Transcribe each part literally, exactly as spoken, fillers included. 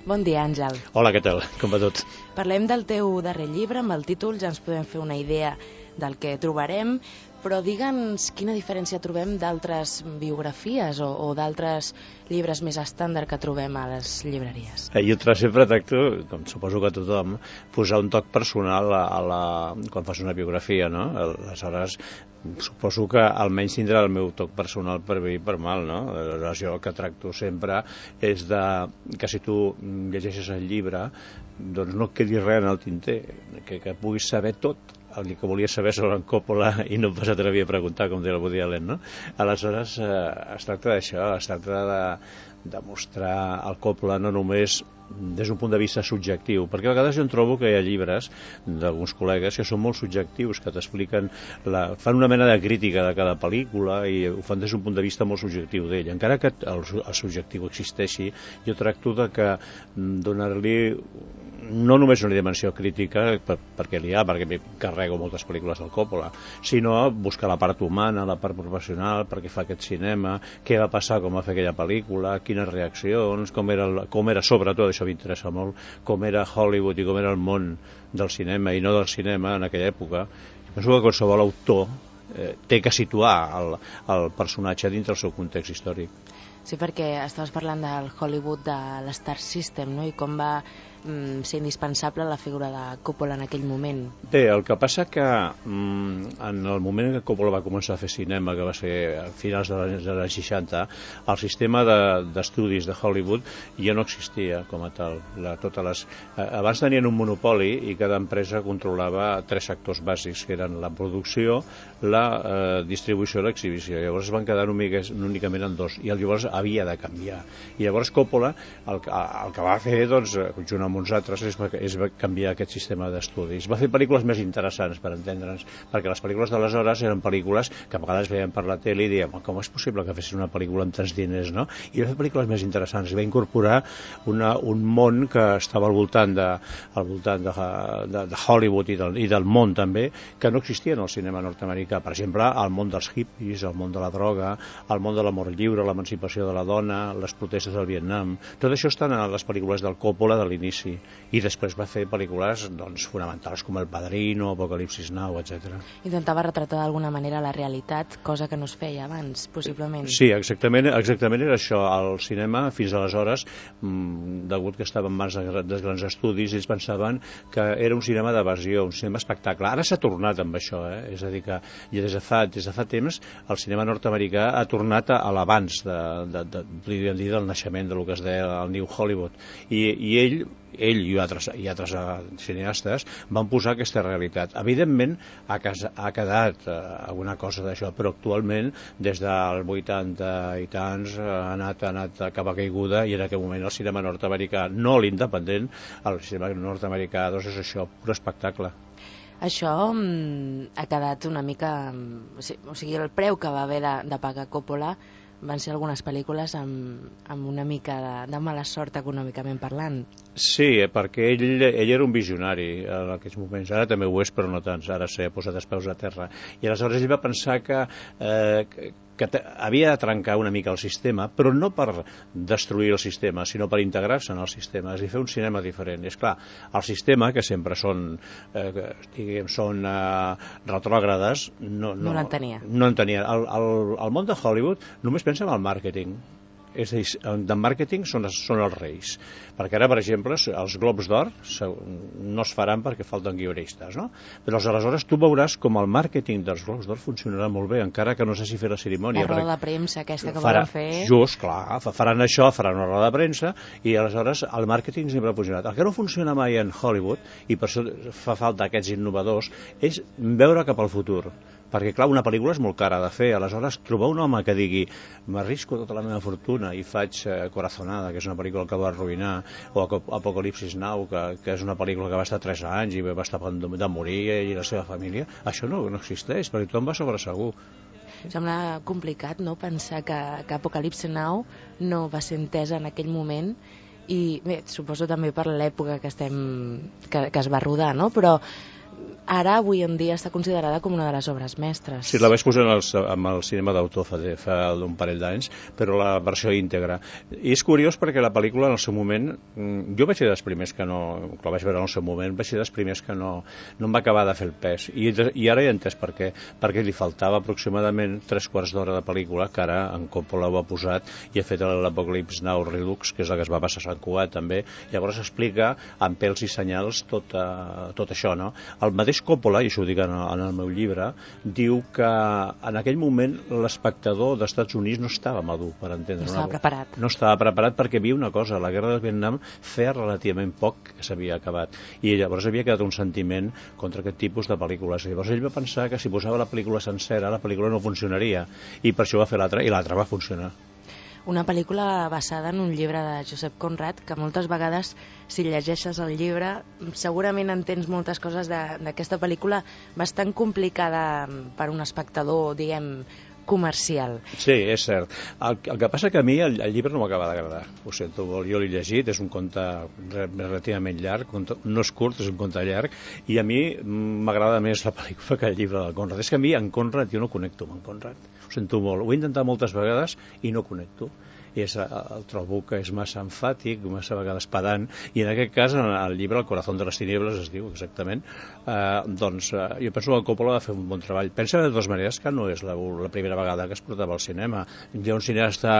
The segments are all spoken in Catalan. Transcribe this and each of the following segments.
Bon dia, Àngel. Hola, què tal? Com va tot? Parlem del teu darrer llibre, amb el títol ja ens podem fer una idea del que trobarem, però digue'ns quina diferència trobem d'altres biografies o, o d'altres llibres més estàndard que trobem a les llibreries. Jo sempre tracto, com suposo que tothom, posar un toc personal a, a la, quan fas una biografia, no? Aleshores, suposo que almenys tindrà el meu toc personal per bé i per mal, no? Aleshores, jo el que tracto sempre és de, que si tu llegeixes el llibre, doncs no et quedi res en el tinter, que, que puguis saber tot el que volia saber sobre en Coppola i no em vas atrevir a preguntar, com deia el Woody Allen, no? Aleshores, eh, es tracta d'això, es tracta de, de mostrar el Coppola no només des d'un punt de vista subjectiu, perquè a vegades jo em trobo que hi ha llibres d'alguns col·legues que són molt subjectius, que t'expliquen, la, fan una mena de crítica de cada pel·lícula i ho fan des d'un punt de vista molt subjectiu d'ell. Encara que el, el subjectiu existeixi, jo tracto de que donar-li no només una dimensió crítica, per, perquè n'hi ha, perquè carrego moltes pel·lícules del Coppola, sinó buscar la part humana, la part professional, per què fa aquest cinema, què va passar, com va fer aquella pel·lícula, quines reaccions, com era, el, com era sobretot, això m'interessa molt, com era Hollywood i com era el món del cinema i no del cinema en aquella època. Jo penso que qualsevol autor eh, té que situar el, el personatge dintre el seu context històric. Sí, perquè estaves parlant del Hollywood de l'Star System, no? I com va mm, ser indispensable la figura de Coppola en aquell moment. Bé, el que passa que mm, en el moment que Coppola va començar a fer cinema, que va ser a finals dels anys seixanta, el sistema d'estudis de, de Hollywood ja no existia com a tal. La, totes les, eh, abans tenien un monopoli i cada empresa controlava tres sectors bàsics, que eren la producció, la eh, distribució i l'exhibició. Llavors es van quedar únicament en dos, i llavors havia de canviar. I llavors Coppola el, el que va fer, doncs, junt amb uns altres, és, és canviar aquest sistema d'estudis. Va fer pel·lícules més interessants, per entendre'ns, perquè les pel·lícules d'aleshores eren pel·lícules que a vegades veiem per la tele i dèiem, com és possible que fessin una pel·lícula amb tants diners, no? I va fer pel·lícules més interessants, i va incorporar una, un món que estava al voltant de, al voltant de, de, de Hollywood i del, i del món també, que no existia en el cinema nord-americà. Per exemple, el món dels hippies, el món de la droga, el món de l'amor lliure, l'emancipació de la dona, les protestes del Vietnam. Tot això està en les pel·lícules del Coppola de l'inici, i després va fer pel·lícules doncs, fonamentals com El Padrino, Apocalipsis Now, etcètera. Intentava retratar d'alguna manera la realitat, cosa que no es feia abans, possiblement. Sí, exactament, exactament era això. El cinema, fins aleshores, mmm, degut que estava en mans dels grans estudis, ells pensaven que era un cinema d'evasió, un cinema espectacle. Ara s'ha tornat amb això, eh? És a dir, que ja des de fa, des de fa temps el cinema nord-americà ha tornat a l'abans de, de, de, podríem dir, del naixement del que es deia el New Hollywood, i, i ell ell i altres, i altres cineastes van posar aquesta realitat. Evidentment ha, cas, ha quedat eh, alguna cosa d'això, però actualment des dels vuitanta i tants ha anat, ha anat cap a caiguda, i en aquell moment el cinema nord-americà, no l'independent, el cinema nord-americà doncs és això, pur espectacle. Això mm, ha quedat una mica... O sigui, el preu que va haver de, de pagar Coppola van ser algunes pel·lícules amb, amb una mica de, de mala sort econòmicament parlant. Sí, perquè ell, ell era un visionari en aquests moments. Ara també ho és, però no tant. Ara s'ha posat els peus a terra. I aleshores ell va pensar que, eh, que, que havia de trencar una mica el sistema, però no per destruir el sistema, sinó per integrar-se en el sistema, és a dir, fer un cinema diferent. És clar, el sistema, que sempre són, eh, diguem, són eh, retrògrades, no, no, no l'entenia. No l'entenia. El, el, el món de Hollywood només pensa en el màrqueting. És a dir, de màrqueting són, són els reis, perquè ara, per exemple, els Globs d'Or no es faran perquè falten guionistes, no? Però aleshores tu veuràs com el màrqueting dels Globs d'Or funcionarà molt bé, encara que no sé si fer la cerimònia. La roda de premsa aquesta que farà, volen fer... Just, clar, faran això, faran una roda de premsa, i aleshores el màrqueting sempre ha funcionat. El que no funciona mai en Hollywood, i per això fa falta aquests innovadors, és veure cap al futur. Perquè, clar, una pel·lícula és molt cara de fer, aleshores trobar un home que digui m'arrisco tota la meva fortuna i faig eh, Corazonada, que és una pel·lícula que va arruïnar, o Apocalipsis Now, que, que és una pel·lícula que va estar tres anys i va estar a punt de, de morir, i la seva família, això no, no existeix, perquè tothom va sobre segur. Sembla complicat, no?, pensar que, que Apocalipsis Now no va ser entesa en aquell moment, i bé, suposo també per l'època que estem que, que es va rodar, no?, però ara avui en dia està considerada com una de les obres mestres. Sí, la vaig posar en el, en el cinema d'autor fa, fa un parell d'anys, però la versió íntegra. I és curiós perquè la pel·lícula en el seu moment, jo vaig ser dels primers que no, que la vaig veure en el seu moment, vaig ser dels primers que no, no em va acabar de fer el pes. I, i ara he entès per què, perquè li faltava aproximadament tres quarts d'hora de pel·lícula, que ara en Coppola ho ha posat i ha fet l'Apocalypse Now Redux, que és la que es va passar a Sant Cugat també. Llavors explica amb pèls i senyals tot, uh, tot això, no? El mateix Coppola, i això ho dic en, en el meu llibre, diu que en aquell moment l'espectador dels Estats Units no estava madur per entendre. No estava una... preparat. No estava preparat perquè havia una cosa, la guerra del Vietnam feia relativament poc que s'havia acabat i llavors havia quedat un sentiment contra aquest tipus de pel·lícules. Llavors ell va pensar que si posava la pel·lícula sencera la pel·lícula no funcionaria i per això va fer l'altra i l'altra va funcionar. Una pel·lícula basada en un llibre de Josep Conrad, que moltes vegades, si llegeixes el llibre, segurament entens moltes coses d'aquesta pel·lícula bastant complicada per un espectador, diguem, comercial. Sí, és cert. El, el que passa que a mi el, el llibre no m'acaba d'agradar. Ho sento, jo l'he llegit, és un conte relativament llarg, no és curt, és un conte llarg, i a mi m'agrada més la pel·lícula que el llibre del Conrad. És que a mi en Conrad jo no connecto amb en Conrad. Ho sento molt. Ho he intentat moltes vegades i no connecto. I és, el trobo que és massa emfàtic, massa vegades pedant, i en aquest cas, en el llibre El corazón de les tinieblas, es diu exactament, eh, doncs eh, jo penso que Coppola va fer un bon treball. Pensa de totes maneres que no és la, la primera vegada que es portava al cinema. Hi ha un cineasta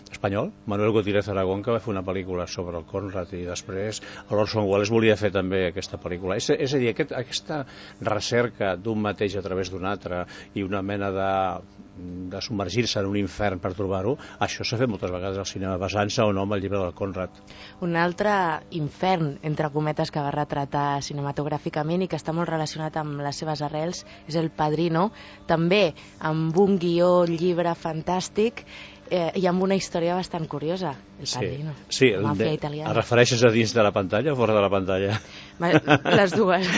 espanyol, Manuel Gutiérrez Aragón, que va fer una pel·lícula sobre el Conrad, i després l'Orson Welles volia fer també aquesta pel·lícula. És, és a dir, aquest, aquesta recerca d'un mateix a través d'un altre i una mena de de submergir-se en un infern per trobar-ho, això s'ha fet moltes vegades al cinema, basant-se o no amb el llibre del Conrad. Un altre infern, entre cometes, que va retratar cinematogràficament i que està molt relacionat amb les seves arrels és El Padrino, també amb un guió, llibre fantàstic, eh, i amb una història bastant curiosa, El Padrino, sí, la màfia italiana. Et refereixes a dins de la pantalla o fora de la pantalla? Les dues.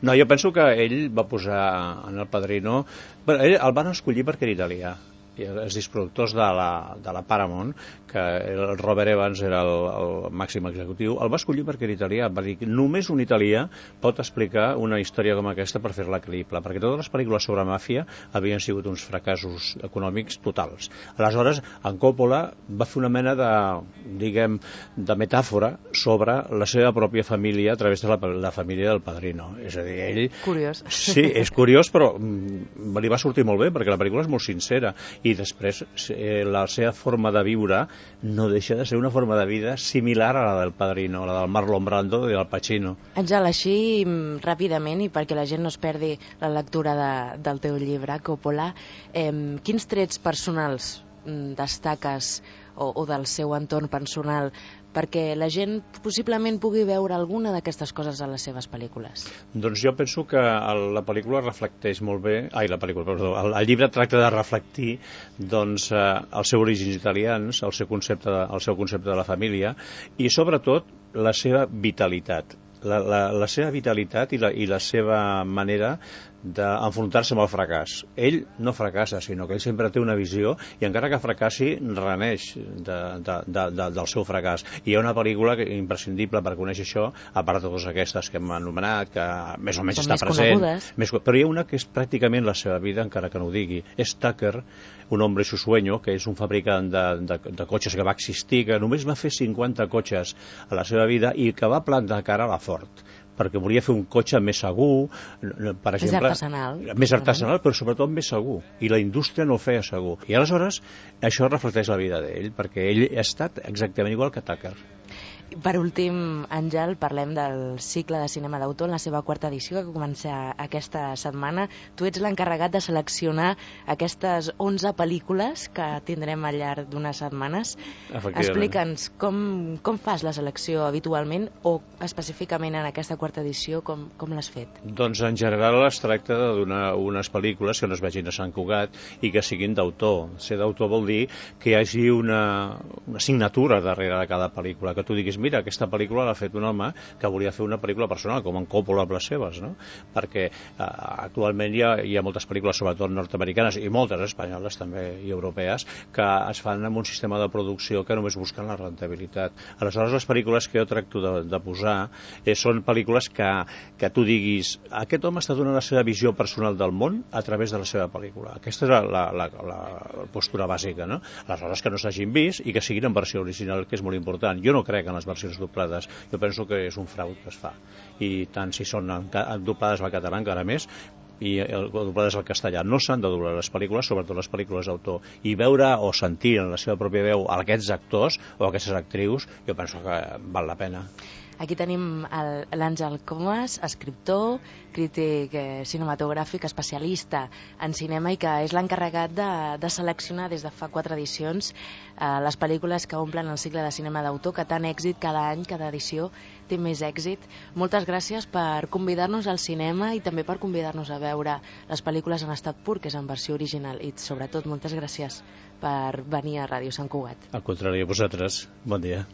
No, jo penso que ell va posar en El Padrino... Bé, ell el van escollir perquè era italià. I els disproductors de la, de la Paramount, que el Robert Evans era el, el màxim executiu, el va escollir perquè era italià. Va dir que només un italià pot explicar una història com aquesta per fer-la creïble, perquè totes les pel·lícules sobre màfia havien sigut uns fracassos econòmics totals. Aleshores, en Coppola va fer una mena de, diguem, de metàfora sobre la seva pròpia família a través de la, la família del Padrino. És a dir, ell... Curiós. Sí, és curiós, però mm, li va sortir molt bé, perquè la pel·lícula és molt sincera. I després eh, la seva forma de viure no deixa de ser una forma de vida similar a la del Padrino, la del Marlon Brando i del Pacino. Àngel, així ràpidament, i perquè la gent no es perdi la lectura de, del teu llibre, Coppola, eh, quins trets personals destaques o, o del seu entorn personal perquè la gent possiblement pugui veure alguna d'aquestes coses a les seves pel·lícules? Doncs jo penso que el, la pel·lícula reflecteix molt bé, ai, la pel·lícula, perdó, el, el llibre tracta de reflectir doncs, eh, els seus orígens italians, el seu concepte de, el seu concepte de la família i sobretot la seva vitalitat. La, la, la seva vitalitat i la, i la seva manera d'enfrontar-se amb el fracàs. Ell no fracassa, sinó que ell sempre té una visió i encara que fracassi, reneix de, de, de, de, del seu fracàs. I hi ha una pel·lícula que, imprescindible per conèixer això, a part de totes aquestes que hem anomenat, que més o menys Com està més present. Més, però hi ha una que és pràcticament la seva vida, encara que no ho digui. És Tucker, un hombre su sueño, que és un fabricant de, de, de cotxes que va existir, que només va fer cinquanta cotxes a la seva vida i que va plantar cara a la Ford, perquè volia fer un cotxe més segur, per exemple, més artesanal, més artesanal, però sobretot més segur, i la indústria no ho feia segur. I aleshores això reflecteix la vida d'ell, perquè ell ha estat exactament igual que Tucker. Per últim, Àngel, parlem del cicle de cinema d'autor en la seva quarta edició que comença aquesta setmana. Tu ets l'encarregat de seleccionar aquestes onze pel·lícules que tindrem al llarg d'unes setmanes. Explica'ns com, com fas la selecció habitualment o específicament en aquesta quarta edició, com, com l'has fet? Doncs en general es tracta de donar unes pel·lícules que no es vegin a Sant Cugat i que siguin d'autor. Ser d'autor vol dir que hi hagi una, una signatura darrere de cada pel·lícula, que tu diguis, mira, aquesta pel·lícula l'ha fet un home que volia fer una pel·lícula personal, com en Coppola amb les seves, no? Perquè eh, actualment hi ha, hi ha moltes pel·lícules, sobretot nord-americanes, i moltes espanyoles també, i europees, que es fan amb un sistema de producció que només busquen la rentabilitat. Aleshores, les pel·lícules que jo tracto de, de posar eh, són pel·lícules que, que tu diguis, aquest home està donant la seva visió personal del món a través de la seva pel·lícula. Aquesta és la, la, la, la postura bàsica, no? Aleshores, que no s'hagin vist i que siguin en versió original, que és molt important. Jo no crec en les versions doblades, jo penso que és un frau que es fa. I tant si són en, en doblades al català encara més, i el doblades al castellà. No s'han de doblar les pel·lícules, sobretot les pel·lícules d'autor, i veure o sentir en la seva pròpia veu aquests actors o aquestes actrius, jo penso que val la pena. Aquí tenim l'Àngel Comas, escriptor, crític eh, cinematogràfic, especialista en cinema i que és l'encarregat de, de seleccionar des de fa quatre edicions eh, les pel·lícules que omplen el cicle de cinema d'autor, que tant èxit cada any, cada edició té més èxit. Moltes gràcies per convidar-nos al cinema i també per convidar-nos a veure les pel·lícules en estat pur, que és en versió original, i sobretot moltes gràcies per venir a Ràdio Sant Cugat. Al contrari, a vosaltres. Bon dia.